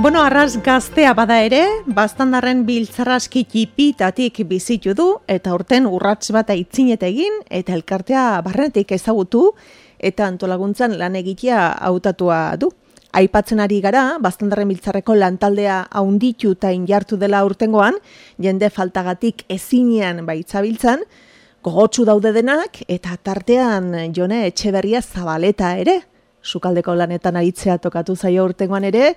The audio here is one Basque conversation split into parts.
Bueno, arras gaztea bada ere, Baztandarren biltzarraski txipitatik bizitu du, eta urten urrats bat aitzinet egin, eta elkartea barrenetik ezagutu, eta antolaguntzan lan egitea hautatua du. Aipatzen ari gara, Baztandarren biltzarreko lantaldea haunditu eta injartu dela urtengoan, jende faltagatik ezinean baitzabiltzan, gogotsu daude denak, eta tartean Jone Etxeberria Zabaleta ere, sukaldeko lanetan aritzea tokatu zaio urtengoan ere,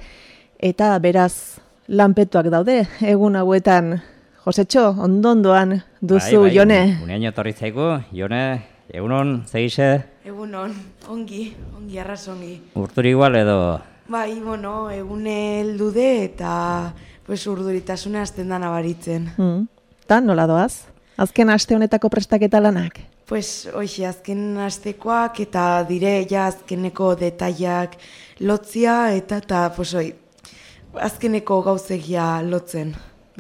eta beraz lanpetuak daude, egun hauetan. Josetxo, ondondoan duzu, bai, Jone. Unean etorri zaigu, Jone, egunon, zegize? Egunon, ongi, arras ongi. Urturi igual edo? Bai, bueno, egune heldude eta urduritasuna azten da nabaritzen. Ta, nola doaz? Azken aste honetako prestaketa lanak? Hoxe, azken astekoak eta dire ja azkeneko detaiak lotzia eta azkeneko gauzegia lotzen,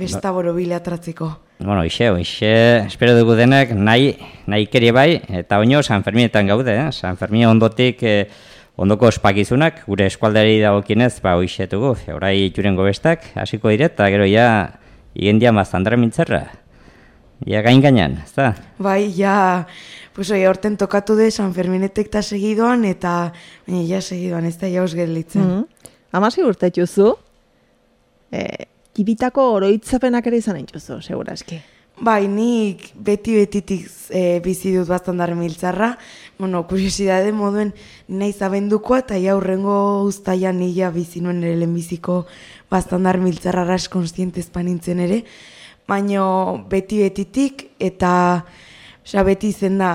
bestaboro bilatratzeko. Bueno, hoxe, espero dugu denak nahi keri bai, eta oino San Ferminetan gaude, San Fermin ondotik ondoko ospakizunak, gure eskualdari dagokinez, hoxe dugu, orai jurengo bestak, hasiko diret, eta gero ja, igendian Baztandarren biltzarra. Ja gain-gainan, ez da? Bai, ja, horten tokatu de San Ferminetek eta segidoan, eta ja segidoan, ez da jauz gelditzen. Amasi urte txuzu, kibitako oroitzapenak ere izan entzuzu, seguraski. Bai, nik betitik bizi dut Baztandarren biltzarra, kuriosidade moduen nahi zabendukoa, eta aurrengo uztaian nila bizi nuen ere lehenbiziko Baztandarren biltzarra ras konstientez panintzen ere, baina betitik, eta beti izen da,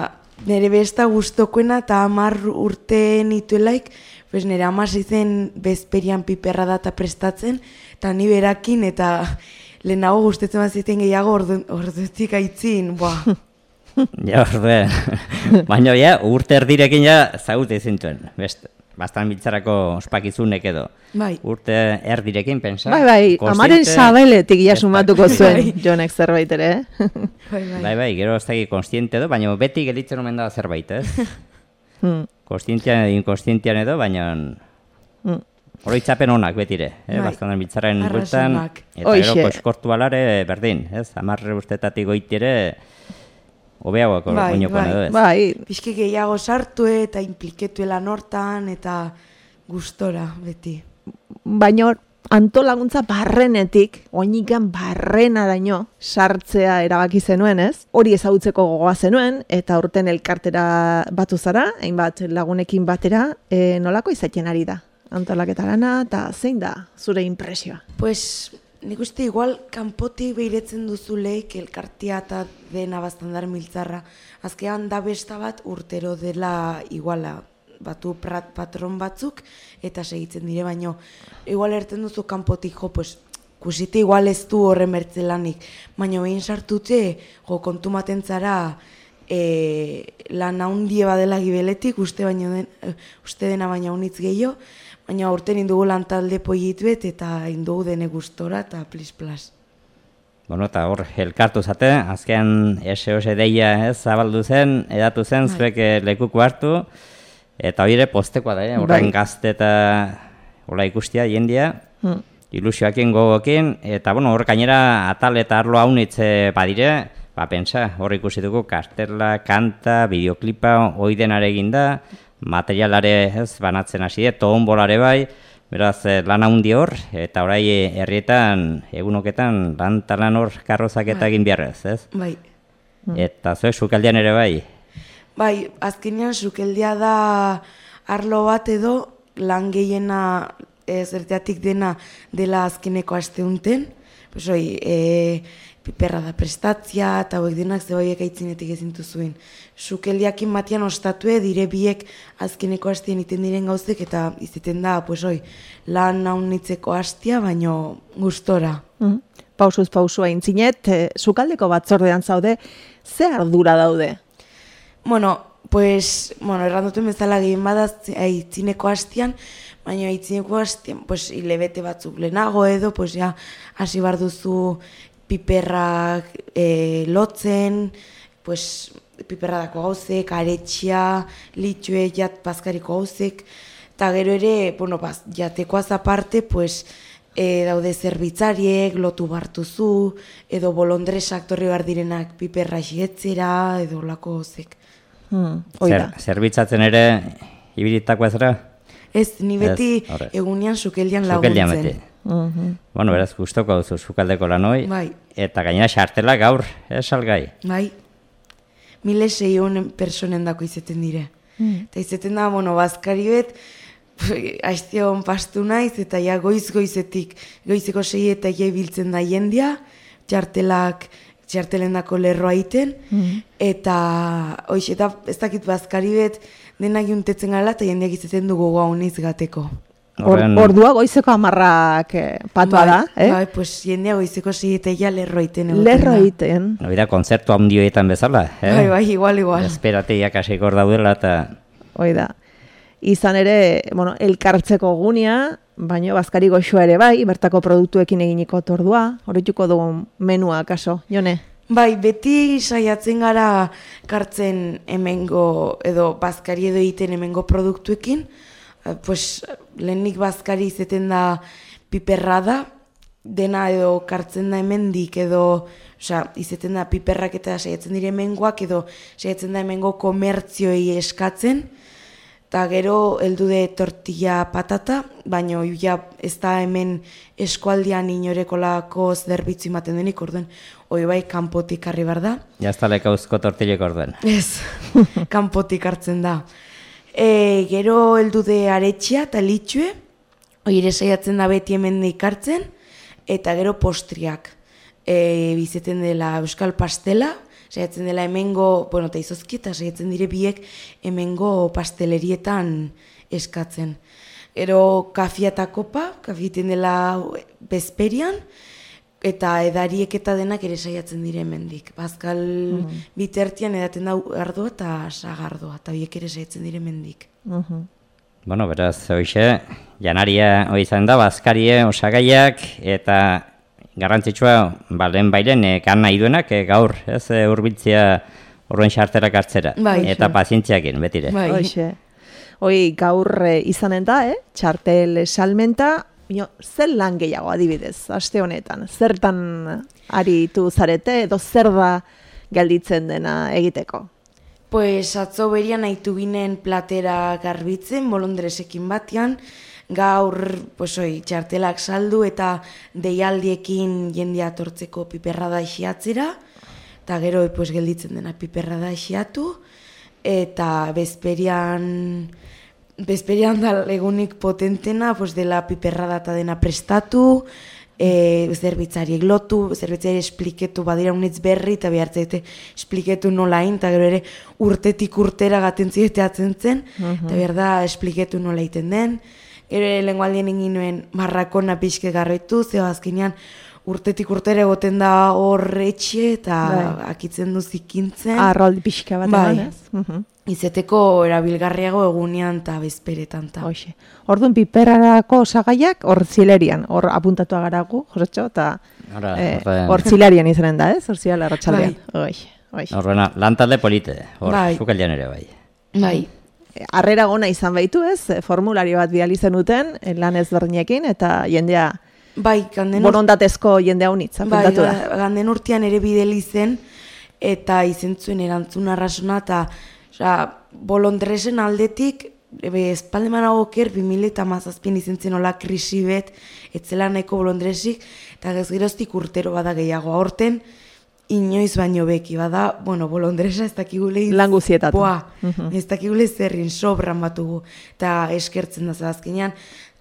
nire besta guztokoena eta 10 urte nituelaik, nire amasi zen bezperian piperra data prestatzen, eta ni berakin, eta lehenago gustetzen bat ziten gehiago orduetik aitzin, Ja, orduen. Baina, urte erdirekin zaute zintuen, Baztan biltzarako ospakizunek edo. Bai. Urte erdirekin, pensa. Bai, amaren sabeletik sumatuko zuen Jonek zerbait ere, Bai, gero ez daki konstiente edo, baina beti gelitzen omen da zerbait, ez? Konstientian edo, inkonstientian edo, baina oroitzapen honak betire, Baztandarren biltzarren bueltan, eta gero koskortu alare berdin, ez? 10 urtetatik goitire, hobeagoak oinokon edo ez. Bai, pixki gehiago sartu eta impliketuela nortan eta gustora beti. Baina antolaguntza barrenetik, oinikan barrena daino sartzea erabaki zenuen, ez? Hori ezagutzeko gogoa zenuen, eta urten elkartera batu zara, hainbat lagunekin batera, nolako izaten ari da? Antolaketa lana, eta zein da zure impresioa? Nik uste igual kanpotik behiretzen duzuleik elkartia eta dena Baztandarren biltzarra. Azkean da besta bat urtero dela iguala batu patron batzuk eta segitzen dire, baino igual erten duzu kanpotik kusite igual ez du horren bertzelanik, baina behin sartute kontumaten zara lan handie badela gibeletik, uste dena baina unitz gehiago, baina urten indugu lantalde poiituet eta indugu dene gustora eta plis-plas. Bueno, eta hor, elkartu zate, azkean SOS deia zabaldu zen, edatu zen, zuek lekuko hartu, eta hori ere postekoa da, horren gazte eta hola ikustia, jendia, ilusioakin gogokin, eta hor gainera atal eta arlo haunitze badire, pentsa, hor ikusi dugu kartela, kanta, bideoklipa, oidenare eginda, materialare banatzen hasi, toonbolare bai, beraz lan handi hor, eta orai herrietan, egunoketan, lan hor karrozak eta egin biharrez, ez? Bai. Eta zuek sukaldean ere bai? Bai, azkenean sukeldea da arlo bat edo lan gehiena zerteatik dela azkeneko asteunten, piperra da prestatzia eta hauek denak zeboiek aitzinetik ezintu zuen. Sukeldiakin batian ostatue dire biek azkeneko hastien iten diren gauzek eta izaten da, lan naunitzeko hastia, baino gustora. Pausuz pausua intzinet, sukaldeko batzordean zaude, ze ardura daude? Erranduten bezala gehien badaz aitzineko hastian, baina aitzineko hastian, hilebete batzuk lehenago edo, hasi bar duzu piperrak lotzen, piperradako gauzek, aretxia, litxue, bazkariko gauzek, eta gero ere, jatekoaz aparte, daude zerbitzariek, lotu bartuzu, edo bolondresak torri behar direnak piperra xietzera, edo lako zek. Zerbitzatzen ere, ibilitako ezera? Ez, ni beti egunean sukeldian laguntzen. Bueno, beraz, gustoko duzu sukaldeko lanoi, bai. Eta gainera xartela gaur, salgai. Bai, 1.600 personen dako izeten dire. Eta izeten da, bazkari bet, aiztion pastu naiz, eta ja goizeko 6 eta biltzen da jendia, txartelen dako lerroa iten, eta ez dakit bazkari bet, denak juntetzen gala, eta jendeak izeten dugu gauniz gateko. Ordua goizeko 10 patua da, Bai, pues jendea goizeko 6 eta ja lerroa iten. Lerroa iten. Hori da, kontzertu handioetan bezala, Bai, igual. Esperateiak hasiko hor daudela, eta... Hoi da. Izan ere, elkartzeko gunia, baina bazkari goxoa ere bai, bertako produktuekin eginiko tordua, horretuko dugu menua, kaso, Jone? Bai, beti saiatzen gara kartzen hemengo, edo bazkari edo egiten hemengo produktuekin, pues, lehenik bazkari izeten da piperra da, dena edo kartzen da hemendik, edo, izeten da piperrak eta saiatzen dire hemengoak, edo saiatzen da hemengo komertzioi eskatzen, eta gero heldu de tortilla patata, baina ez da hemen eskualdian inorekolako zerbitzu ematen denik, orduen, bai kanpotik harri bar da. Jaztaleka uzko tortillek orduen. Ez, kanpotik hartzen da. Gero heldu de aretxia eta litxue, ere saiatzen da beti hemen hartzen, eta gero postriak. Bizeten dela euskal pastela, saiatzen dela hemengo, eta izozki, eta saiatzen dire biek hemengo pastelerietan eskatzen. Gero kafia eta kopa, kafieten dela bezperian, eta edariek eta denak ere saiatzen dire hemendik. Bazkal bitertian edaten da ardoa eta sagardoa, eta biek ere saiatzen dire hemendik. Bueno, beraz, hoxe, janaria izan da, bazkarie, osagaiak, eta garrantzitsua, lehen bailen, kan nahi duenak, gaur, hurbiltzea horren xarterak hartzera. Eta pazientziakin, betire. Hoi, gaur izanen da, txartel salmenta, zer lan gehiago adibidez, aste honetan? Zertan aritu zarete, edo zer da gelditzen dena egiteko? Pues atzo berian nahitu ginen platera garbitzen, bolondresekin batean, gaur txartelak saldu eta deialdiekin jendea atortzeko piperra da isiatzera, eta gero gelditzen dena piperra da isiatu, eta bezperian da egunik potentena, dela piperra da eta dena prestatu, zerbitzariek lotu, zerbitzari espliketu badira unitz berri, eta behartzaite espliketu nola hain, eta gero ere urtetik urtera gaten zideteatzen zen, eta behar da espliketu nola iten den. Gero lengualdien egin nuen marrakona pixke garroitu, zeo azkenean urtetik urtera egoten da hor etxe, eta akitzen du zikintzen. Arroldi pixka bat emanez. Izeteko erabilgarriago egunean eta bezperetan. Orduan piperrarako osagaiak hor zilerian, hor apuntatu agaragu, Josetxo, eta hor zilerian izanen da, hor zilera arratsaldean. Horrena, lantalde polite, hor sukaldean ere bai. Bai. Harrera gona izan baitu formulario bat bidali zenuten, lan ezberdinekin, eta jendea borondatezko jendea unitza, apuntatu da. Ganden urtean ere bideli zen, eta izentzuen erantzun arrasona, eta bolondresen aldetik, espaldemanago oker, 2017 izentzen hola krisi bet, etzela nahiko bolondresik, eta geroztik urtero bada gehiago aurten, inoiz baino beki, bada, bolondresa ez dakigule lan guzietatu. Ez dakigule zerrin sobran batugu, eta eskertzen da azkenean,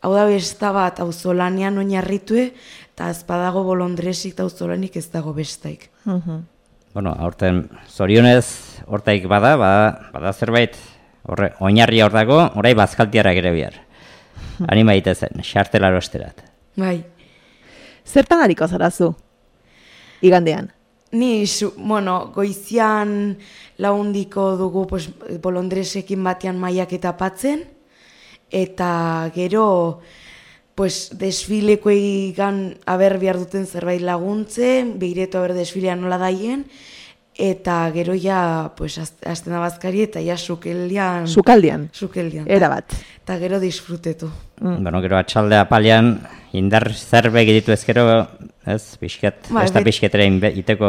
hau da besta bat auzolanean oinarritue, eta ez badago bolondresik eta auzolanik ez dago bestaik. Aurten zorionez hortaik bada zerbait, oinarria hor dago, orai bazkaltiara ere bihar. Anima itezen, xartelaro esterat. Bai. Zertan hariko zarazu, igandean? Ni, goizian laundiko dugu bolondresekin batean maiak eta patzen, eta gero desfileko egan aber behar duten zerbait laguntzen, behiretu aber desfilean nola daien, eta gero ja, pues, azten abazkari eta ja sukaldian. Sukaldian, erabat. Eta gero disfrutetu. Bueno, gero atxalde apalean, indar zerbe egitu ezkero, ez, pixket, ez da pixketera iteko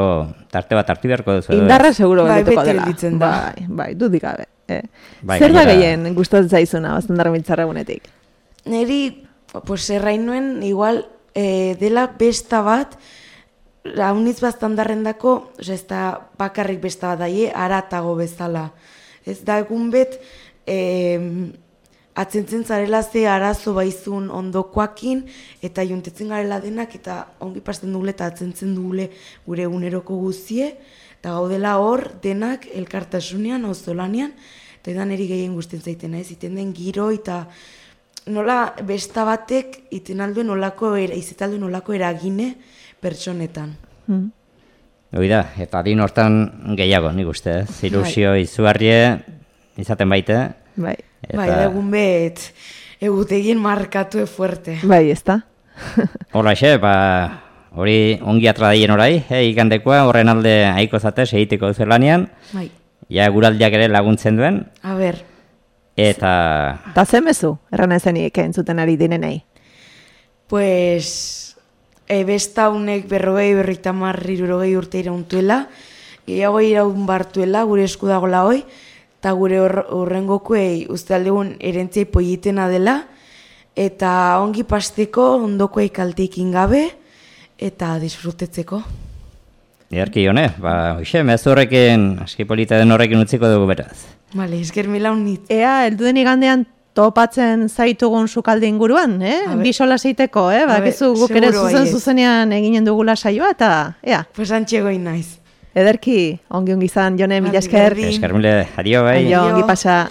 tarte bat hartu beharko duzu. Indarra seguro geldituko dela. Beti da. Bai, dudik gabe. Zer da gehien gustatzen zaizuna, Baztandarra Biltzarra egunetik? Neri, pues, errain nuen, igual, dela besta bat, haunitz Baztandarren dako, ez da bakarrik besta bat daie, aratago bezala. Ez da egun bet, atzentzen zarela ze arazo baizun ondokoakin, eta juntetzen garela denak, eta ongi pasten dugule eta atzentzen dugule gure eguneroko guzie, eta gaudela hor denak elkartasunean, auzolanean, eta edan eri gehien guztien zaiten, ez, iten den giro, eta nola besta batek iten alduen olako eragine pertsonetan. Oida, eta adin hortan gehiago, nik uste, ilusio izugarrie izaten baite. Bai, egun bet egutegin markatu fuerte. Bai, ez da. Hola, hori ongi atradaien orai, ikandekoa, horren alde haiko zate, segiteko zelanean. Bai. Ja, guraldiak ere laguntzen duen. A ber. Eta zemezu, erran ezenik entzuten ari dinenei? Pues, besta honek 50-50 urte irauntuela, gehiago iraun bartuela, gure esku dagoela hoi, eta gure horrengokuei uste aldegun erentziai poietena dela, eta ongi pasteko ondokoei kalteikin gabe, eta disfrutetzeko. Ederki hone, hoxe, mezu horrekin, aski polita den horrekin utziko dugu beraz. Bale, esker mila unit. Ea, elduden igandean topatzen zaitugun sukalde inguruan, bisola zeiteko, bakizu guk ere zuzenean eginen dugula saioa, eta ea. Pues antxegoin naiz. Ederki, ongi izan, Jone, mila esker. Esker mile, adio bai. Ongi pasa.